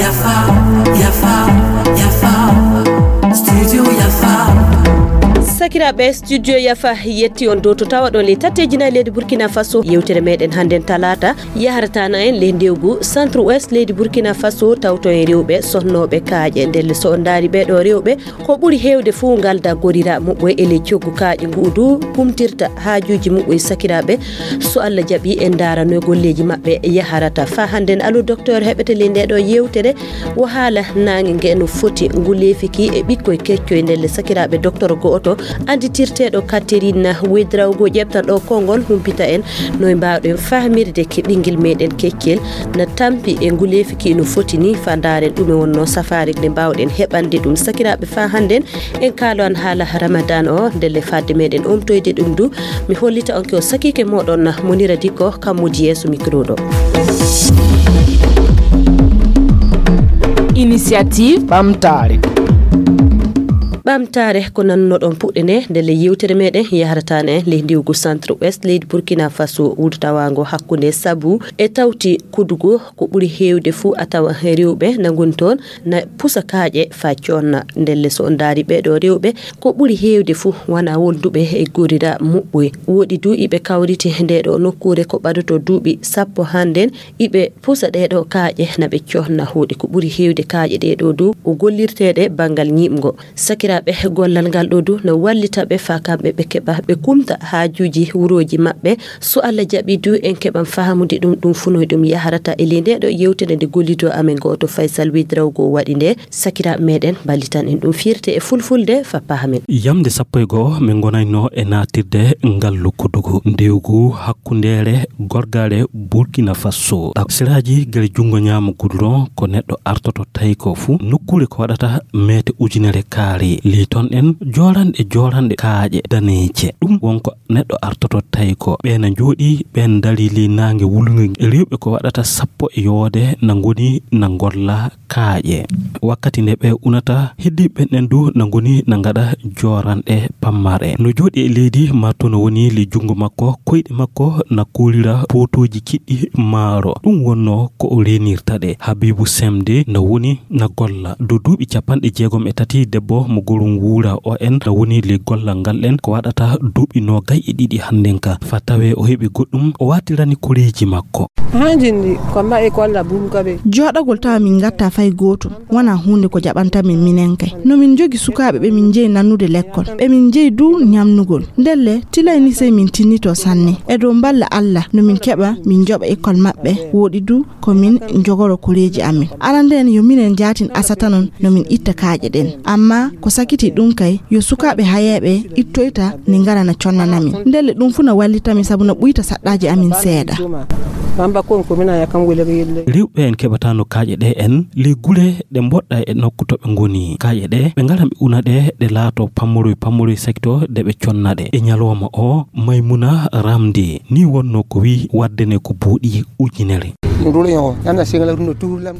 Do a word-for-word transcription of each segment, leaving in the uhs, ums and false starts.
Yafa, yafa, yafa. Studio yafa. Sakiraaɓe, studio yafa yetti on dow to tawa ɗon ley tatteeji nayi leydi Burkina Faso. Yewtere meɗen hannden talaata yaharata na en ley ndewgu centre ouest leydi Burkina Faso, tawto en rewɓe sohnooɓe kaaƴe. Ndelle so on ndaari ɓee ɗoo rewɓe, ko ɓuri heewde fuu ngalda gorira muɓɓoy e ley coggu kaaƴe ngu'u du kumtirta haajuuji muɓɓoy. Sakiraaɓe, so Allah jaɓi, en ndaara no golleeji maɓɓe yaharata. Faa hannden, allo docteur heɓete ley ndee ɗoo yewtere, wo haala naange nge no foti ngu leefiki e ɓikkoy keccoy. Ndelle sakiraaɓe, docteur go'oto annditirteeɗo Catherine Ouédraogo ƴeɓtan ɗoo konngol, humpita en no e mbaawɗen fahmirde ke ɓinngel meɗen keccel na tampi e ngu leefiki no foti ni. Faa ndaaren ɗume wonnoo safaari nde mbaawɗen heɓande ɗum. Sakiraaɓe, faa hannden en kaalo an haala Ramadan o, ndelle fadde meɗen omtoyde ɗum du, mi hollita on ko sakiike moɗon Monira Dikko, kam woni yeeso micro ɗo. Initiative ɓamtaare. Ɓamtaare ko nannoɗon puɗɗene ndelle yewtere meɗen yaharata na en ley ndewgu centre ouest leydi Burkina Faso, wuro tawaango hakkunde sabu e tawti Kudugu. Ko ɓuri heewde fuu a tawa rewɓe na ngoni toon na pusa kaaƴe faa coonna. Ndelle so on ndaari ɓee ɗoo rewɓe, ko ɓuri heewde fuu wonaa wonduɓe e gorira muɓɓoy. Woɗi du iɓe kawriti ndee ɗoo nokkuure ko ɓadoto duuɓi sappo hannden, iɓe pusa ɗee ɗoo kaaƴe na ɓe coonna. Woɗi ko ɓuri heewde kaaƴe ɗee ɗoo du ko gollirteeɗe banngal ñiiɓngo. Sakiraaɓe, gollal ngal ɗoo du na wallita ɓe faa kamɓe ɓe keɓa ɓe kumta haajuuji wurooji maɓɓe. So Allah jaɓi du, en keɓan fahamude ɗum, ɗum fuu no ɗum yaharata e ley ndee ɗoo yewtere nde gollidoo amen go'oto Faysal Ouédraogo waɗi nde. Sakiraaɓe meɗen, mballitan en ɗum firti e fulfulde faa pahamen. Yamnde sappo e go'o min ngonayno e naatirde ngallu Kudugu, ndewgu hakkundeere gorgaaɗe Burkina Faso. Seraaji gila junngo ñaamo goudron ko neɗɗo artoto tawi ko fuu nokkuure ko waɗata meete ujunere kaari. Ley toon en jooranɗe jooranɗe kaaƴe daneeje. Ɗum won ko neɗɗo artoto tawi ko ɓeen na njooɗii, ɓeen ndarii ley naange wulnge. Rewɓe ko waɗata sappo e yoode na ngoni na ngolla kaaƴe. Wakkati nde ɓe unata, heddiiɓe ɓen ɗen du na ngoni na ngaɗa jooranɗe pammare. No jooɗii e leydi, maa to no woni ley junngo makko, koyɗe makko na kuurira pootooji kiɗɗi maaro. Ɗum wonnoo ko o reenirta ɗe. Habibu Semde na woni na golla. Dow duuɓi capanɗe jeegom e tati, debbo mo Gorum Wuura, o en na woni ley gollal ngal ɗen ko waɗata duuɓi noogay e ɗiɗi hannden ka. Faa tawee o heɓi goɗɗum, o waatirani koreeji makko. Hanjindi ko mbaɗi kolla bum kabe. Jooɗagol tawa min ngattaa fay gootum, wonaa huunde ko jaɓanta min minen kay. No min njogi sukaaɓe ɓe min njeyi nannude lekkol, ɓe min njeyi du ñamnugol. Ndelle, tilay ni sey min tinnitoo sanne. E dow mballa Alla, no min keɓa, min njoɓa ekkol maɓɓe, woɗi du ko min njogoro koreeji amin. Arande en yo minen jaatin asata non no min itta kaaƴe ɗen. Amma ko sakitii ɗum kay, yo sukaaɓe hayeeɓe ittoyta ni ngara na connana min. Ndelle ɗum fuu na wallita min sabu na ɓuyta saɗɗaaji amin seeɗa. Bamba kon ko mina ya kan wele yelle. Rewɓe en keɓataano kaaƴe ɗe en ley gure ɗe mboɗɗa e nokku to ɓe ngoni. Kaaƴe ɗe ɓe ngara ɓe una ɗe, ɗe laato pammoroy pammoroy sekto de ɓe conna ɗe. E ñalawma o, Maymuna Ramdi ni wonnoo ko wii waɗde ne ko buuɗi ujunere.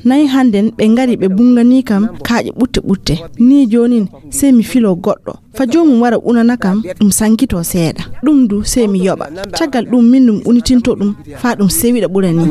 Nayi hannden ɓe ngari ɓe bunnganii kam kaaƴe ɓutte ɓutte. Ni joonin sey mi filoo goɗɗo. Fa joomum wara unana kam, ɗum sankitoo seeɗa. Ɗum du sey mi yoɓa. Caggal ɗum min ɗum unitintoo ɗum faa ɗum sewiɗa ɓura ni.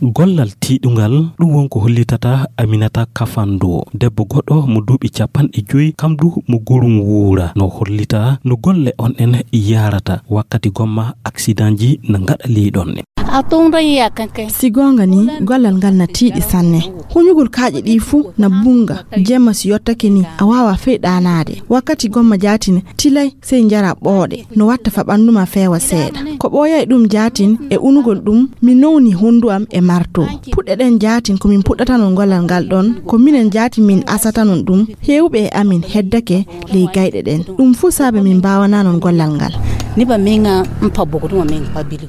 Gollal tiiɗungal, ɗum won ko hollitata Aminata Kafando, debbo goɗɗo mo duuɓi capanɗe joyi, kam du mo Gorum Wuura, no hollita no golle on ɗen yahrata wakkati gomma aksidanji na ngaɗa ley ɗon. A tonton ya kankan. Si goonga ni, gollal ngal na tiiɗi sanne. Huñugol kaaƴe ɗi fuu na bunnga. Jemma si yottake ni, a waawaa fey ɗaanaade. Wakkati gomma jaatin, tilay sey njara ɓooɗe. No watta fa ɓanndu ma feewa seeɗa. Ko ɓooyay ɗum jaatin e unugol ɗum, mi nowni honndu am e marto. Puɗɗe ɗen jaatin ko min puɗɗatanon gollal ngal ɗon, ko minen jaatin min asatanon ɗum. Heewɓe e amin heddake ley gayɗe ɗen. Ɗum fuu saabe min mbaawananon gollal ngal. Ni ba min ga mpa bogo tuma min mpa bili.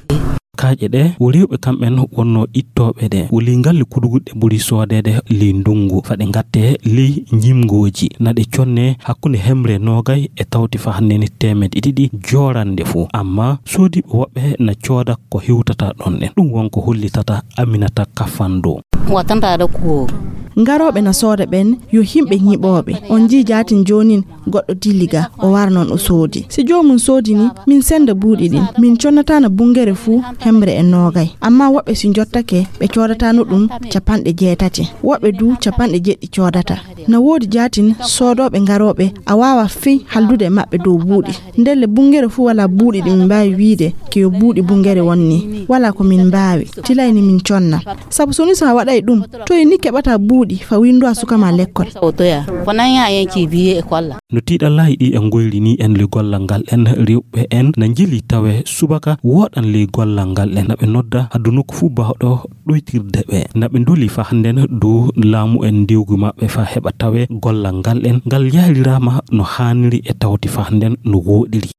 Kaaƴe ɗe, wo rewɓe kamɓen wonnoo ittooɓe ɗe. Wo ley ngalli kudugu ɗe ɓuri soodeede ley ndunngu. Fa ɗe ngattee ley njimngooji. Na ɗe connee hakkunde hemre noogay e tawti fa hannde ni teemedde ɗiɗi joorande fof. Amma soodiiɓe woɓɓe na cooda ko hewtata ɗon ɗen. Ɗum won ko hollitata Aminata Kafando. Watanta ɗo kuwo. Ngarooɓe na sooda ɓen yo yimɓe ñiɓooɓe. On njii jaatin joonin Goɗɗo dilli ga, o wara noon o soodi. Si joomum soodi ni, min sennda buuɗi ɗin. Min connataano bungere fuu hemre e noogay. Ammaa woɓɓe si njottake, ɓe coodatano ɗum capanɗe jeetati. Woɓɓe du capanɗe jeɗɗi coodata. Na woodi jaatin soodooɓe garooɓe, a waawa fii haldude e maɓɓe dow buuɗi. Ndelle bungere fuu walaa buuɗi ɗi min mbaawi wiide ke yo buuɗi bungere won ni. Walaa ko min mbaawi. Tilay ni min conna. Sabu so ni so a waɗay ɗum, toy ni keɓata buuɗi fa winndu a suka ma lekkol? No tiiɗallaaji ɗi en ngoyri ni en le gollal ngal en rewɓe en na njili tawe subaka woɗan le gollal ngal en na ɓe nodda addu nokku fuu baawɗo ɗoytirde ɓe. Na ɓe nduli fa hannden dow laamu en ndewgu maɓɓe fa heɓa tawe gollal ngal en ngal yahriraama no haaniri e tawti fa hannden no wooɗiri.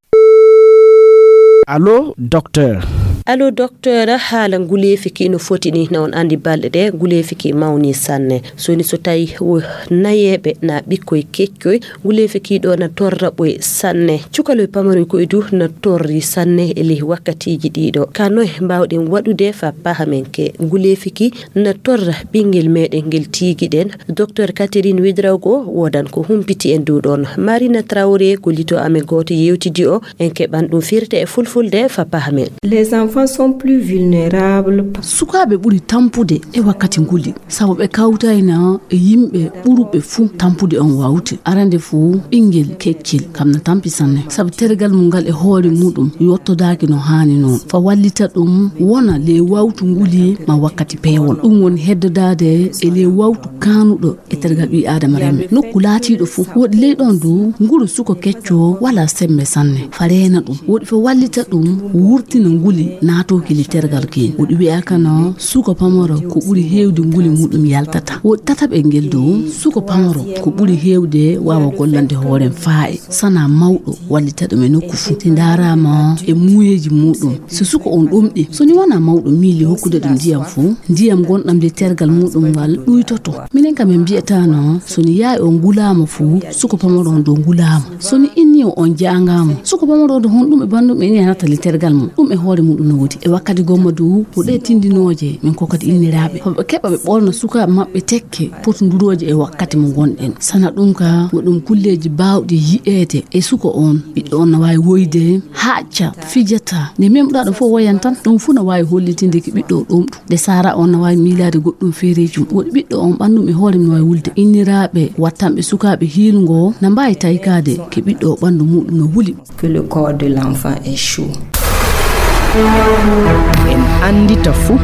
Allo, docteur. Allo, docteur, haala nguleefi ki no foti ni, na on anndi balɗe ɗe nguleefi ki mawni sanne. So ni so tawi wo nayeeɓe na ɓikkoy keccoy, nguleefi ki ɗo na torra ɓoy sanne. Cukaloy pamaroy koy du na torri sanne e ley wakkatiiji ɗiɗo. Ka noy mbaawɗen waɗude fa pahamen ke nguleefi ki na torra ɓinngel meɗen ngel tiigiɗen? Docteur Catherine Ouédraogo woodan ko humpiti en dow ɗon. Marina Traoré ko lito amen gooto yewtidi o, en keɓan ɗum firte e fulfulde fa pahamen. Les enfants sont plus vulnérables. Sukaaɓe ɓuri tampude e wakkati nguli, sabu ɓe kawtayna e yimɓe ɓuruɓe fuu tampude on wawte. Arande fuu, ɓinngel keccel kam na tampi sanne, sabu tergal mum ngal e hoore muɗum yottodaaki no haani noon. Fa wallita ɗum wona le wawtu nguli ma wakkati peewol. Ɗum woni heddodaade e le wawtu kaanuɗo e tergal ɓii Aadama remme. Nokku laatiiɗo fuu, woɗi ley ɗon du nguru suko kecco wala sembe sanne. Fa reena ɗum, woɗi fa wallita ɗum wurtina nguli naatooki le tergal kin. Woɗi wi'a kana suko pamaro ko ɓuri heewde nguli muɗum yaltata. Woɗi tataɓe ngel dow, suko pamaro ko ɓuri heewde waawa gollande hoorem faa'i. Sana mawɗo wallita ɗum e nokku fuu. Si ndaaraama e muuyeeji muɗum, si suko on ɗomɗi, so ni wona mawɗo miili hokkude ɗum ndiyam fuu, ndiyam gonɗam le tergal muɗum ngal ɗuytoto. Minen kam en mbiyataano, so ni yaayi on ngulaama fuu, suko pamaro on dow ngulaama. So ni inni o on jaangaama, suko pamaro on dow honɗum e banndum e ni anata le tergal mum. Ɗum e hoore muɗum no wodi. E wakkati gomma du, ko ɗe tindinooje min kokkata inniraaɓe. Fa ɓe keɓa ɓe ɓolna sukaaɓe maɓɓe tekke potondurooje e wakkati mo ngonɗen. Sana ɗum ka, ko ɗum kulleeji baawɗi yi'eede e suko on. Ɓiɗɗo on na waawi woyde, haaƴca, fijata. Nde memɗa ɗum fof woyan tan, ɗum fof na waawi hollitinde ko ɓiɗɗo o ɗomɗo. Nde saara on na waawi miilaade goɗɗum feereejum. Woɗi ɓiɗɗo on ɓanndu e hoore mum no waawi wulde. Inniraaɓe wattanɓe sukaaɓe hiilngo na mbaawi taykaade ko ɓiɗɗo o ɓanndu muɗum no wuli. Que le corps de l'enfant est chaud. En anndita fuu.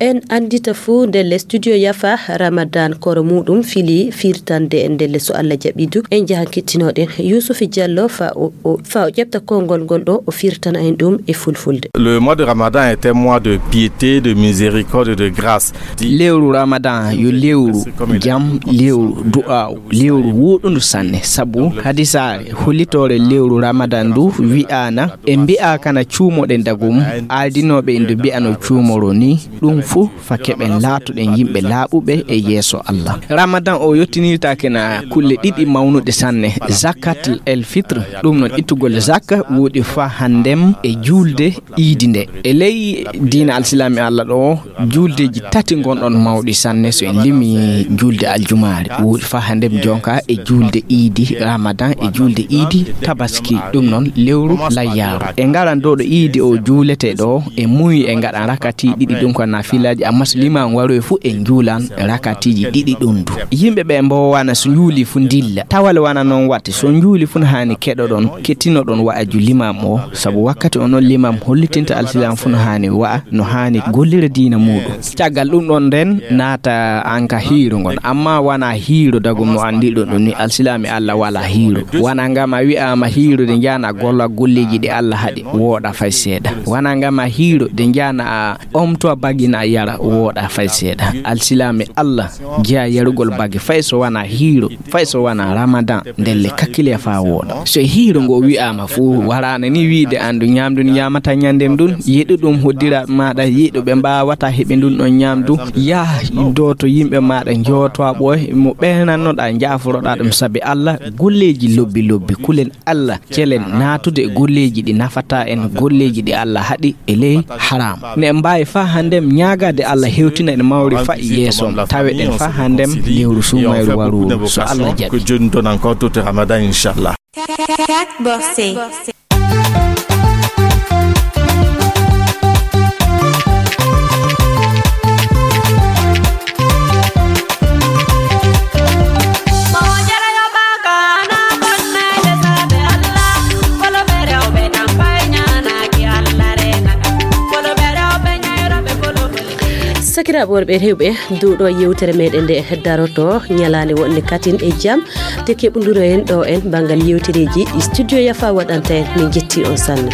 En anndita fuu ndelle studio Yafa Ramadan koro muɗum fili firtande ndelle so Allah jaɓi du. En njahan kettinoɗen Yusufi Diallo fa o, o, fa o ƴefta konngol ngol ɗo o firtana en ɗum e fulfulde. Le mois de Ramadan est un mois de piété, de miséricorde, de grâce. Lewru Ramadan yo lewru jam, lewru du'aaw, lewru wuuɗundu sanne, sabu hadisaare hollitoore lewru Ramadan ndu wi'aana, e mbi'a kana cuumoɗen dagum, aadinooɓe en ndu mbi'ano cuumoro ni, ɗum fuu fa keɓen laatoɗen yimɓe laaɓuɓe e yeeso Allah. Ramadan o yottinirtaake na kulle ɗiɗi mawnuɗe sanne, zakat el fitr, ɗum noon ittugol zakka, woodi fa hanndem e juulde iidi nde. E ley diina alsilaami Allah ɗo, juuldeeji tati ngonɗon mawɗi sanne, so en limi juulde aljumaare, woodi fa hanndem jonka e juulde iidi Ramadan e juulde iidi Tabaski, ɗum noon lewru layyaaru. E ngaran ɗo ɗo iidi o juuletee ɗo, e muuyi e ngaɗan rakati ɗiɗi, ɗum ko nafilaaji, amma so limaam waroyi fuu en juulan rakatiiji ɗiɗi ɗum du. Yimɓe ɓe mboowana so njuuli fuu ndilla. Tawale wana noon watte, so njuuli fuu no haani keɗoɗon, kettinoɗon wa'aju limaam o, sabu wakkati o noon limaam hollitinta alsilaam fuu no haani wa'a, no haani gollira diina muuɗum. Caggal ɗum ɗon nden naata an ka hiiro ngon, amma wana hiiro dagum no anndiɗo ɗum ni alsilaami Allah wala hiiro. Wana ngam a wi'aama hiiro de njaana golla golleeji ɗi Allah haɗi, wooɗa fay seeɗa. Wana ngam a hiiro de njaana a omto a bagina a yara, wooɗa fay seeɗa. Alsilaami Allah jeya yarugol bagi fay so wana hiiro, fay so wana Ramadan, ndelle kakkile faa wooɗa. So hiiro ngo wi'aama fuu, waraana ni wiide an du nyaamdu ni nyaamata nyandem ndun, yiɗu ɗum hoddiraaɓe maaɗa, yiɗu ɓe mbaawata heɓe ndun ɗon nyaamdu, yah dooto yimɓe maaɗa, njootoa ɓooy mo ɓeynannoɗaa, njaaforoɗaa ɗum sabi Allah, golleeji lobbi lobbi, kulen Allah, celen naatude e golleeji ɗi nafata en, golleeji ɗi Allah haɗi e ley haram. Ne en mbaawi faa hanndem Agade Allah hewtina en mawri fa yeeso, tawe ɗen fa handem lewru sumayru waru, so Allah jaɓi. Que Dieu nous donne encore tout Ramadan, Inch'Allah. Cat Bossé. Sakiraaɓe worɓe rewɓe, dow ɗo yewtere meɗen nde daroto, ñalaande wonde katin e jam, te keɓnduro en ɗo en banngal yewtereeji studio Yafa waɗanta en. Min jetti on sanne.